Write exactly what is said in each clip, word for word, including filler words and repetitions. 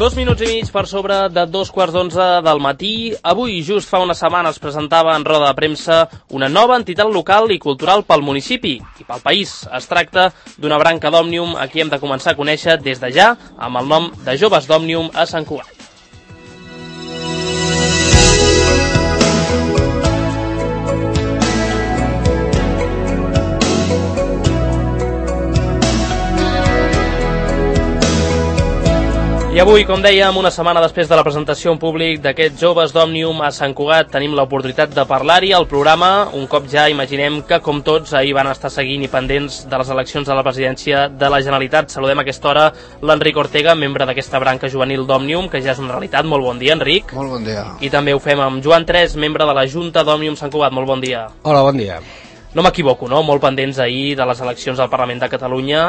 Dos minuts i mig per sobre de dos quarts d'onze del matí. Avui, just fa una setmana, es presentava en roda de premsa una nova entitat local i cultural pel municipi i pel país. Es tracta d'una branca d'Òmnium a qui hem de començar a conèixer des de ja amb el nom de Joves d'Òmnium a Sant Cugat. I avui, com dèiem, una setmana després de la presentació en públic d'aquests Joves d'Òmnium a Sant Cugat, tenim l'oportunitat de parlar-hi al programa, un cop ja imaginem que, com tots, ahir van estar seguint i pendents de les eleccions a la presidència de la Generalitat. Saludem a aquesta hora l'Enric Ortega, membre d'aquesta branca juvenil d'Òmnium, que ja és una realitat. Molt bon dia, Enric. Molt bon dia. I també ho fem amb Joan Tres, membre de la Junta d'Òmnium Sant Cugat. Molt bon dia. Hola, bon dia. No m'equivoco, no? Molt pendents ahir de les eleccions al Parlament de Catalunya,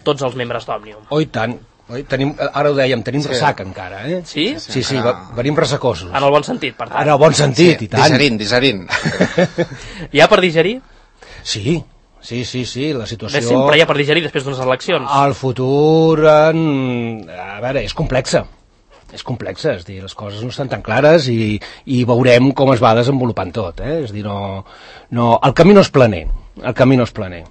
tots els membres d'Òmnium. Oh, i tant. Oi, tenim, ara ho dèiem, tenim sí. ressaca encara, eh? Sí? Sí, sí, sí, venim ressacosos. En el bon sentit, per tant. En el bon sentit, sí, i tant. Digerint, digerint. Hi ha per digerir? Sí, sí, sí, sí, la situació... Bé, sempre hi ha per digerir després d'unes eleccions. El futur, en... a veure, és complexa. És complexa, és dir, les coses no estan tan clares i, i veurem com es va desenvolupant tot, eh? És dir, no, no... El camí no és planer, el camí no és planer.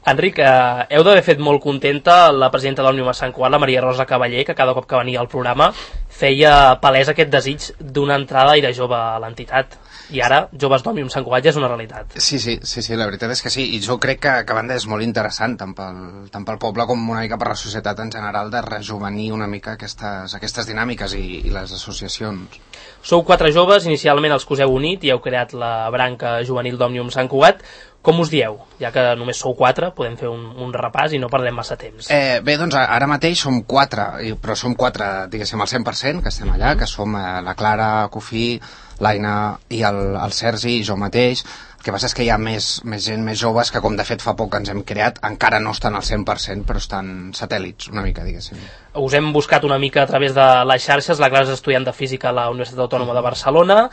Enric, eh, heu d'haver fet molt contenta la presidenta d'Òmnium a Sant Cugat, la Maria Rosa Cavaller, que cada cop que venia al programa feia palès aquest desig d'una entrada i de jove a l'entitat. I ara, Joves d'Òmnium Sant Cugat ja és una realitat. Sí, sí, sí, sí, la veritat és que sí. I jo crec que, que a banda és molt interessant, tant pel, tant pel poble com una mica per la societat en general, de rejuvenir una mica aquestes, aquestes dinàmiques i, i les associacions. Sou quatre joves, inicialment els que us heu unit i heu creat la branca juvenil d'Òmnium Sant Cugat. Com us dieu? Ja que només sou quatre, podem fer un, un repàs i no perdem massa temps. Eh, bé, doncs ara mateix som quatre, però som quatre, diguéssim, al cent per cent, que estem allà, que som eh, la Clara Cofí, l'Aina i el, el Sergi i jo mateix. El que passa és que hi ha més, més gent, més joves, que com de fet fa poc que ens hem creat, encara no estan al cent per cent, però estan satèl·lits, una mica, diguéssim. Us hem buscat una mica a través de les xarxes. La Clara és estudiant de Física a la Universitat Autònoma de Barcelona,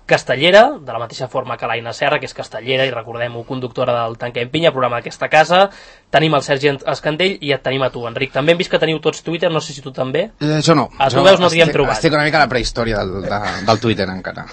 castellera, de la mateixa forma que l'Aina Serra, que és castellera i, recordem-ho, conductora del Tanquem Pinya, programa d'aquesta casa. Tenim el Sergi Escandell i et tenim a tu, Enric. També hem vist que teniu tots Twitter, no sé si tu també. Eh, jo no. A tu jo veus no t'hi hem trobat. Estic una mica a la prehistòria del, de, del Twitter encara.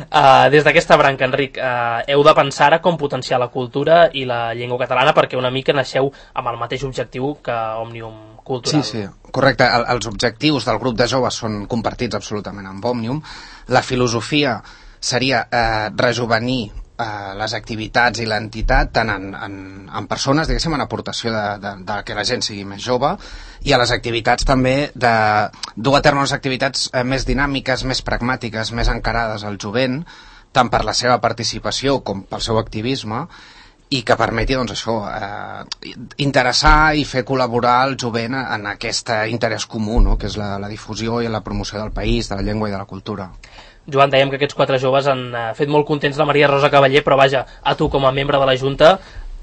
Uh, des d'aquesta branca, Enric, uh, heu de pensar a com potenciar la cultura i la llengua catalana, perquè una mica naixeu amb el mateix objectiu que Òmnium Cultural. Sí, sí, correcte. El, els objectius del grup de joves són compartits absolutament amb Òmnium. La filosofia seria eh, rejuvenir eh, les activitats i l'entitat tant en, en, en persones, diguéssim, en aportació de, de, de que la gent sigui més jove, i a les activitats també de dur a terme unes activitats eh, més dinàmiques, més pragmàtiques, més encarades al jovent, tant per la seva participació com pel seu activisme, i que permeti, doncs, això, eh, interessar i fer col·laborar el jovent en aquest interès comú, no?, que és la, la difusió i la promoció del país, de la llengua i de la cultura. Joan, dèiem que aquests quatre joves han uh, fet molt contents la Maria Rosa Cavaller, però vaja, a tu com a membre de la Junta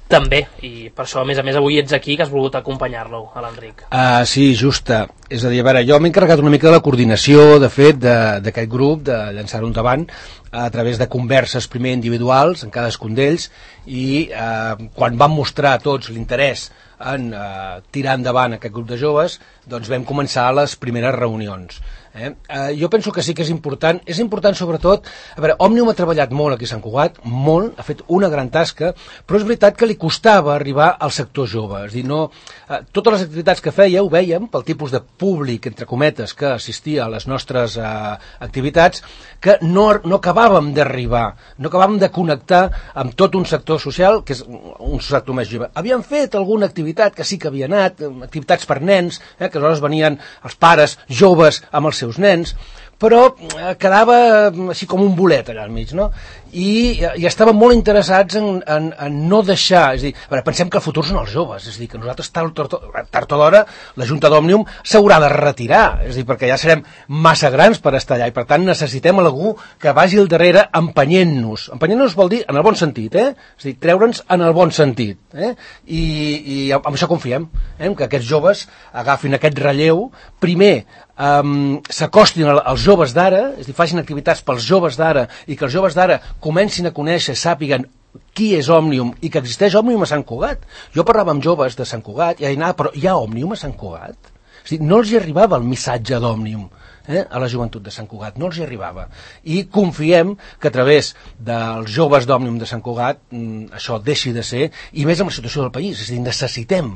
també, i per això a més a més avui ets aquí, que has volgut acompanyar-lo, a l'Enric. Uh, sí, justa. És a dir, a veure, jo m'he encarregat una mica de la coordinació, de fet, d'aquest grup, de llançar-ho endavant, a través de converses primer individuals en cadascun d'ells, i uh, quan van mostrar tots l'interès en uh, tirar endavant aquest grup de joves, doncs vam començar les primeres reunions. Eh? Uh, jo penso que sí que és important, és important sobretot, a veure, Òmnium ha treballat molt aquí a Sant Cugat, molt, ha fet una gran tasca, però és veritat que li costava arribar al sector jove, és a dir, no, uh, totes les activitats que feia ho vèiem pel tipus de públic, entre cometes, que assistia a les nostres uh, activitats, que no, no acabàvem d'arribar, no acabàvem de connectar amb tot un sector social, que és un sector més jove. Havíem fet alguna activitat que sí que havia anat, activitats per nens, eh, que aleshores venien els pares joves amb els seus nens, però quedava així com un bolet allà al mig, no? I, i estàvem molt interessats en, en, en no deixar, és a dir, a veure, pensem que el futur són els joves, és a dir, que nosaltres tard, tard, tard o d'hora la Junta d'Òmnium s'haurà de retirar, és a dir, perquè ja serem massa grans per estar allà i per tant necessitem algú que vagi al darrere empenyent-nos. Empenyent-nos vol dir en el bon sentit, eh? És a dir, treure'ns en el bon sentit, eh? I, i amb això confiem, eh? Que aquests joves agafin aquest relleu, primer Um, s'acostin als joves d'ara, és a dir, facin activitats pels joves d'ara i que els joves d'ara comencin a conèixer, sàpiguen qui és Òmnium i que existeix Òmnium a Sant Cugat. Jo parlava amb joves de Sant Cugat i deien, ah, però hi ha Òmnium a Sant Cugat? És a dir, no els hi arribava el missatge d'Òmnium eh, a la joventut de Sant Cugat, no els hi arribava. I confiem que a través dels joves d'Òmnium de Sant Cugat mm, això deixi de ser, i més amb la situació del país, és a dir, necessitem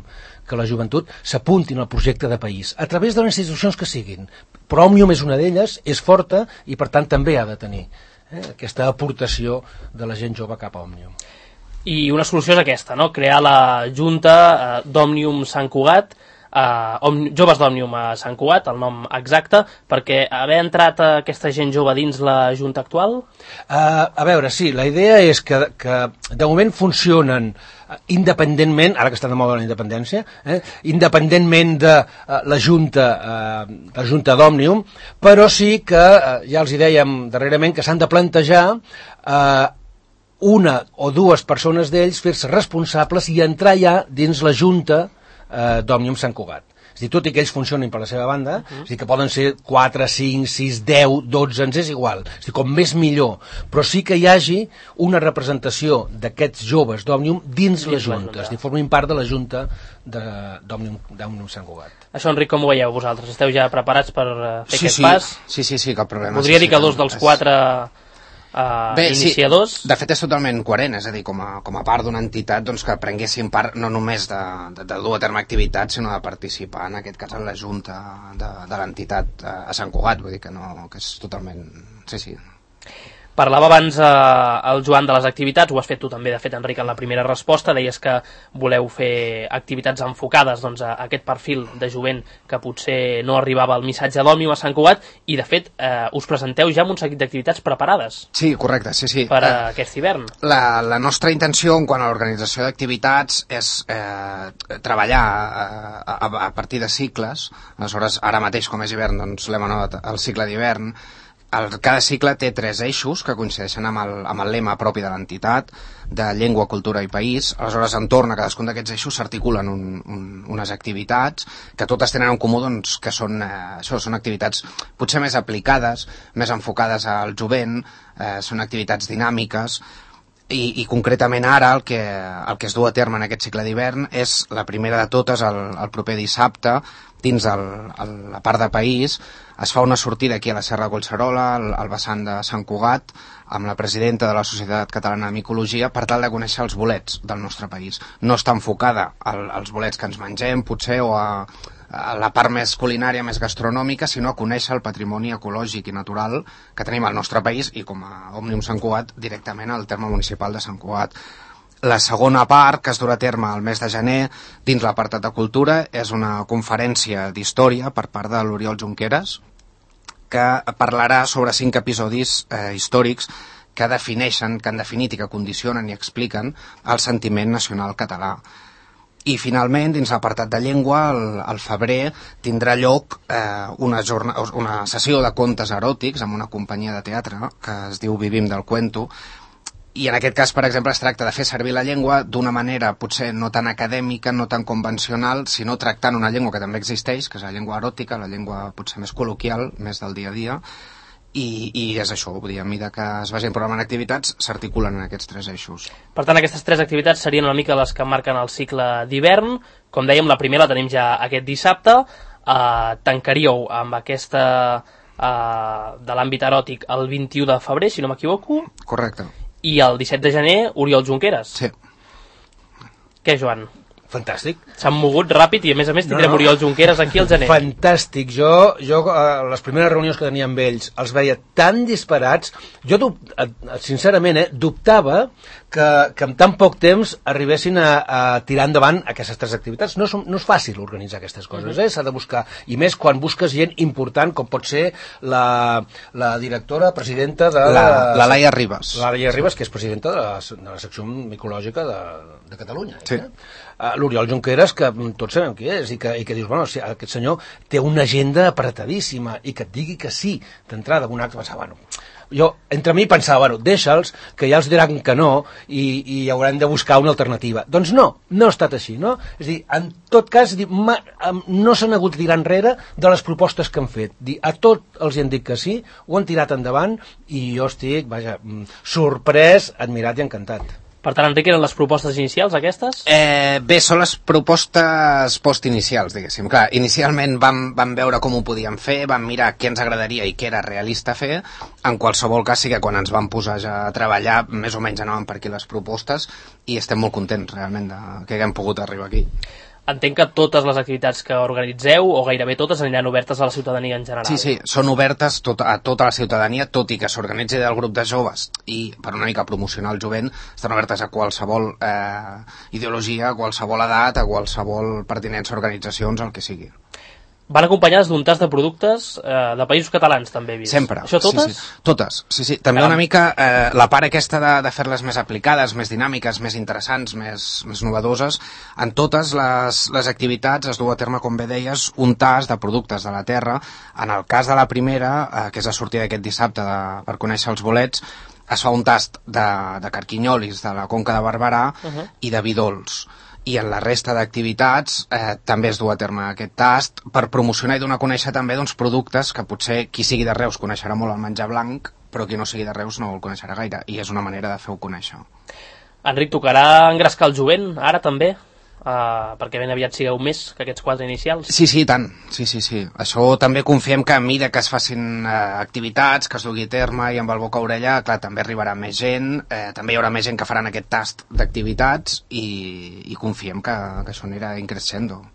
que la joventut s'apuntin al projecte de país, a través de les institucions que siguin. Però Òmnium és una d'elles, és forta, i per tant també ha de tenir eh, aquesta aportació de la gent jove cap a Òmnium. I una solució és aquesta, no? Crear la Junta eh, d'Òmnium Sant Cugat, Uh, Joves d'Òmnium a Sant Cugat, el nom exacte, perquè haver entrat aquesta gent jove dins la Junta actual? Uh, a veure, sí, la idea és que, que de moment funcionen independentment, ara que està de moda la independència, eh, independentment de uh, la Junta, uh, la Junta d'Òmnium, però sí que, uh, ja els hi dèiem darrerament, que s'han de plantejar uh, una o dues persones d'ells fer-se responsables i entrar ja dins la Junta Eh, d'Òmnium Sant Cugat. És a dir, tot i que ells funcionin per la seva banda, uh-huh. és a dir, que poden ser quatre, cinc, sis, deu, dotze, ens és igual. És a dir, com més millor. Però sí que hi hagi una representació d'aquests joves d'Òmnium dins, dins la Junta. És a dir, formin part de la Junta d'Òmnium Sant Cugat. Això, Enric, com ho veieu vosaltres? Esteu ja preparats per uh, fer sí, aquest sí. pas? Sí, sí, sí, cap problema. Podria sí, dir que sí, dos dels quatre Uh, Bé, iniciadors. Sí, de fet és totalment coherent, és a dir, com a, com a part d'una entitat doncs, que prenguessin part no només de, de, de dur a terme activitats, sinó de participar, en aquest cas, en la junta de, de l'entitat a, a Sant Cugat, vull dir que, no, que és totalment... Sí, sí. Parlava abans eh, el Joan de les activitats, ho has fet tu també, de fet, Enric, en la primera resposta, deies que voleu fer activitats enfocades doncs, a aquest perfil de jovent que potser no arribava al missatge d'Òmnium a Sant Cugat, i de fet eh, us presenteu ja amb un seguit d'activitats preparades. Sí, correcte, sí, sí. Per a eh, aquest hivern. La, la nostra intenció en quant a l'organització d'activitats és eh, treballar eh, a, a partir de cicles. Aleshores, ara mateix, com és hivern, doncs l'hem anotat el cicle d'hivern. El, cada cicle té tres eixos que coincideixen amb el, amb el lema propi de l'entitat, de llengua, cultura i país. Aleshores, entorn a cadascun d'aquests eixos s'articulen un, un, unes activitats que totes tenen en comú doncs, que són, eh, això, són activitats potser més aplicades, més enfocades al jovent, eh, són activitats dinàmiques. I, i concretament ara el que, el que es du a terme en aquest cicle d'hivern és la primera de totes el, el proper dissabte dins el, el, la part de país. Es fa una sortida aquí a la Serra de Collserola, al, al vessant de Sant Cugat, amb la presidenta de la Societat Catalana de Micologia, per tal de conèixer els bolets del nostre país. No està enfocada al, als bolets que ens mengem, potser, o a, a la part més culinària, més gastronòmica, sinó a conèixer el patrimoni ecològic i natural que tenim al nostre país i com a Òmnium Sant Cugat directament al terme municipal de Sant Cugat. La segona part, que es durà a terme el mes de gener, dins l'apartat de cultura, és una conferència d'història per part de l'Oriol Junqueras, que parlarà sobre cinc episodis eh, històrics que defineixen, que han definit i que condicionen i expliquen el sentiment nacional català. I finalment, dins l'apartat de llengua, el, el febrer tindrà lloc eh, una, jorna, una sessió de contes eròtics amb una companyia de teatre que es diu Vivim del Cuento. I en aquest cas, per exemple, es tracta de fer servir la llengua d'una manera potser no tan acadèmica, no tan convencional, sinó tractant una llengua que també existeix, que és la llengua eròtica, la llengua potser més col·loquial, més del dia a dia, i, i és això, vull dir, a mesura que es vagin programant activitats, s'articulen en aquests tres eixos. Per tant, aquestes tres activitats serien una mica les que marquen el cicle d'hivern. Com dèiem, la primera la tenim ja aquest dissabte. Uh, tancaríeu amb aquesta uh, de l'àmbit eròtic el vint-i-u de febrer, si no m'equivoco. Correcte. I el disset de gener, Oriol Junqueras. Sí. Què, Joan? Fantàstic. S'han mogut ràpid i, a més a més, tindrem no, no. Oriol Junqueras aquí al gener. Fantàstic. Jo, jo eh, les primeres reunions que tenia amb ells els veia tan disparats. Jo, sincerament, eh, dubtava que, que en tan poc temps arribessin a, a tirar endavant aquestes tres activitats. No és, no és fàcil organitzar aquestes coses, uh-huh. eh? S'ha de buscar. I més quan busques gent important, com pot ser la, la directora, presidenta de... La, la Laia Ribas. La Laia Ribas, que és presidenta de la, de la secció micològica de, de Catalunya. Sí. Eh? Uh, L'Oriol Junqueras, que tots sabem qui és, i que, i que dius, bueno, si aquest senyor té una agenda apretadíssima, i que et digui que sí, d'entrada, un acte, pensava, bueno, jo, entre mi pensava, bueno, deixa'ls, que ja els diran que no, i, i haurem de buscar una alternativa. Doncs no, no ha estat així, no? És a dir, en tot cas, dir, ma, no s'han hagut de tirar enrere de les propostes que han fet. Dir, a tot els hi han dit que sí, ho han tirat endavant, i jo estic, vaja, sorprès, admirat i encantat. Per tant, Enric, eren les propostes inicials, aquestes? Eh, bé, són les propostes postinicials, diguéssim. Clar, inicialment vam, vam veure com ho podíem fer, vam mirar què ens agradaria i què era realista fer. En qualsevol cas, sí que quan ens vam posar ja a treballar, més o menys anaven per aquí les propostes i estem molt contents, realment, de que haguem pogut arribar aquí. Entenc que totes les activitats que organitzeu, o gairebé totes, aniran obertes a la ciutadania en general. Sí, sí, són obertes tot, a tota la ciutadania, tot i que s'organitzi del grup de joves i per una mica promocionar el jovent, estan obertes a qualsevol eh, ideologia, a qualsevol edat, a qualsevol pertinença a organitzacions, el que sigui. Van acompanyades d'un tas de productes eh, de països catalans, també he vist. Sempre. Això totes? Sí, sí. Totes, sí, sí. També una mica eh, la part aquesta de, de fer-les més aplicades, més dinàmiques, més interessants, més, més novedoses. En totes les, les activitats es du a terme, com bé deies, un tas de productes de la terra. En el cas de la primera, eh, que és a sortir d'aquest dissabte de, per conèixer els bolets, es fa un tast de, de carquinyolis de la Conca de Barberà uh-huh. i de vi dolç. I en la resta d'activitats eh, també es du a terme aquest tast per promocionar i donar a conèixer també doncs, productes que potser qui sigui de Reus coneixerà molt el menjar blanc, però qui no sigui de Reus no el coneixerà gaire, i és una manera de fer-ho conèixer. Enric, tocarà engrescar el jovent, ara també? Uh, perquè ben aviat sigueu més que aquests quatre inicials. Sí, sí, tant. Sí, sí, sí. Això també confiem que a mesura que es facin eh, activitats, que es dugui a terme i amb el boca a orella, clar, també arribarà més gent, eh, també hi haurà més gent que faran aquest tast d'activitats i, i confiem que, que això anirà increixendo.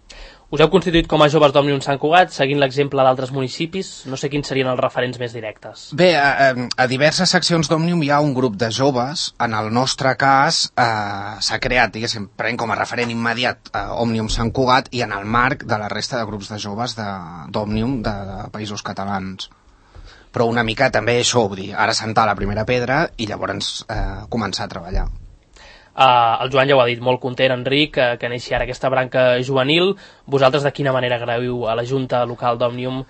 Us heu constituït com a joves d'Òmnium Sant Cugat, seguint l'exemple d'altres municipis. No sé quins serien els referents més directes. Bé, a, a diverses seccions d'Òmnium hi ha un grup de joves. En el nostre cas eh, s'ha creat, diguéssim, prenent com a referent immediat a Òmnium Sant Cugat i en el marc de la resta de grups de joves d'Òmnium de, de, de països catalans. Però una mica també això, vull dir, ara sentar la primera pedra i llavors eh, començar a treballar. Uh, el Joan ja ho ha dit, molt content, Enric, que, que neixi ara aquesta branca juvenil. Vosaltres de quina manera agraïu a la Junta Local d'Òmnium uh,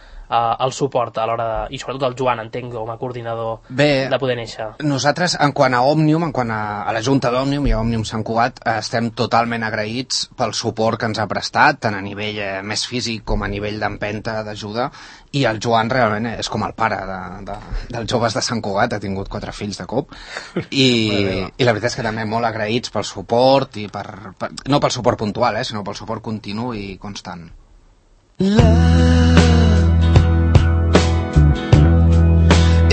el suport a l'hora de... i sobretot el Joan, entenc, com a coordinador Bé, de poder néixer? Nosaltres, en quant a Òmnium, en quant a, a la Junta d'Òmnium i a Òmnium Sant Cugat, eh, estem totalment agraïts pel suport que ens ha prestat, tant a nivell eh, més físic com a nivell d'empenta, d'ajuda, i el Joan realment és com el pare de, de, dels joves de Sant Cugat, ha tingut quatre fills de cop, i, i la veritat és que també molt agraïts pel suport, i per, per, no pel suport puntual, eh, sinó pel suport continu i constant. Love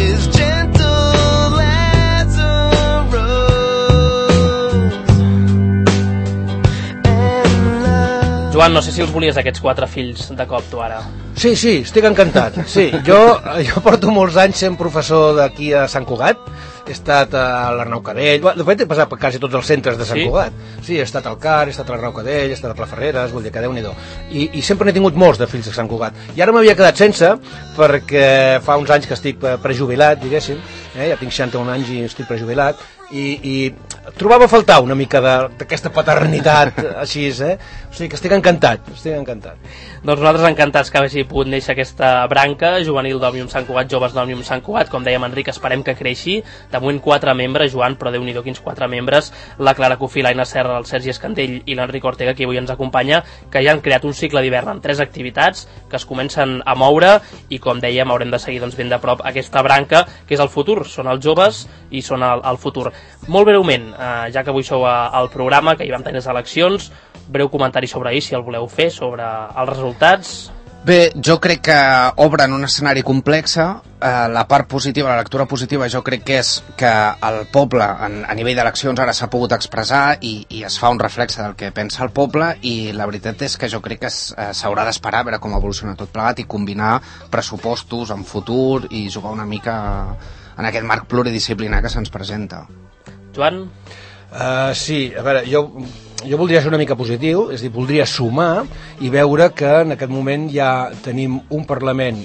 is gentle as a rose, and love... Joan, no sé si els volies aquests quatre fills de cop tu ara. Sí, sí, estic encantat. Sí, jo, jo porto molts anys sent professor d'aquí a Sant Cugat. He estat a l'Arnau Cadell, de fet he passat per quasi tots els centres de Sant sí? Cugat. Sí, he estat al Car, he estat a l'Arnau Cadell, he estat a Plaferreres, vull dir que Déu-n'hi-do. I, I sempre n'he tingut molts de fills de Sant Cugat. I ara m'havia quedat sense, perquè fa uns anys que estic prejubilat, diguéssim, eh? Ja tinc seixanta-un anys i estic prejubilat, i, i trobava a faltar una mica d'aquesta paternitat així, eh? O sigui que estic encantat, estic encantat. Doncs nosaltres encantats que hagi pogut néixer aquesta branca juvenil d'Òmnium Sant Cugat, joves d'Òmnium Sant Cugat, com dèiem Enric, esperem que creixi. De moment quatre membres, Joan, però Déu-n'hi-do quins quatre membres, la Clara Cofí, l'Aina Serra, el Sergi Escandell i l'Enric Ortega, que avui ens acompanya, que ja han creat un cicle d'hivern amb tres activitats que es comencen a moure i, com dèiem, haurem de seguir doncs, ben de prop aquesta branca, que és el futur, són els joves i són el, el futur. Molt breument, eh, ja que avui sou al programa, que hi vam tenir les eleccions, breu comentari sobre ahir, si el voleu fer, sobre els resultats. Bé, jo crec que obren un escenari complex. Eh, la part positiva, la lectura positiva, jo crec que és que el poble, en, a nivell d'eleccions, ara s'ha pogut expressar i, i es fa un reflexe del que pensa el poble, i la veritat és que jo crec que s'haurà d'esperar a veure com evoluciona tot plegat i combinar pressupostos en futur i jugar una mica en aquest marc pluridisciplinar que se'ns presenta. Joan? Uh, sí, a veure, jo... Jo voldria ser una mica positiu, és a dir, voldria sumar i veure que en aquest moment ja tenim un Parlament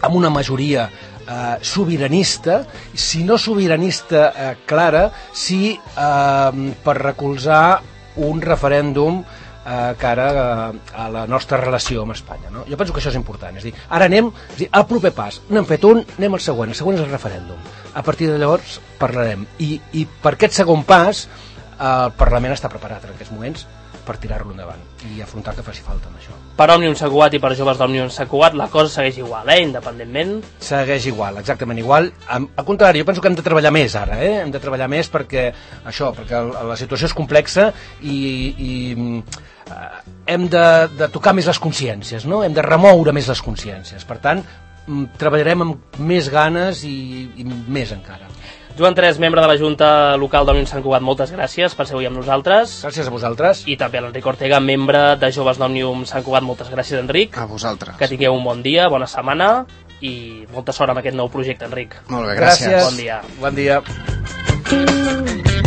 amb una majoria eh, sobiranista, si no sobiranista eh, clara, sí eh, per recolzar un referèndum eh, cara a, a la nostra relació amb Espanya, no? Jo penso que això és important, és a dir, ara anem, és a dir, al proper pas, n'hem fet un, anem al següent, el següent és el referèndum. A partir de llavors parlarem. I, i per aquest segon pas el Parlament està preparat en aquests moments per tirar-lo endavant i afrontar que faci falta amb això. Per Òmnium Sant Cugat i per joves d'Òmnium Sant Cugat la cosa segueix igual, eh? Independentment. Segueix igual, exactament igual. Al contrari, jo penso que hem de treballar més ara, eh? Hem de treballar més perquè això, perquè la situació és complexa i, i eh, hem de, de tocar més les consciències, no? Hem de remoure més les consciències. Per tant, treballarem amb més ganes i, i més encara. Joan Tres, membre de la Junta Local d'Òmnium Sant Cugat, moltes gràcies per ser avui amb nosaltres. Gràcies a vosaltres. I també a l'Enric Ortega, membre de Joves d'Òmnium Sant Cugat, moltes gràcies, Enric. A vosaltres. Que tingueu un bon dia, bona setmana i molta sort amb aquest nou projecte, Enric. Molt bé, gràcies. Gràcies. Bon dia. Bon dia.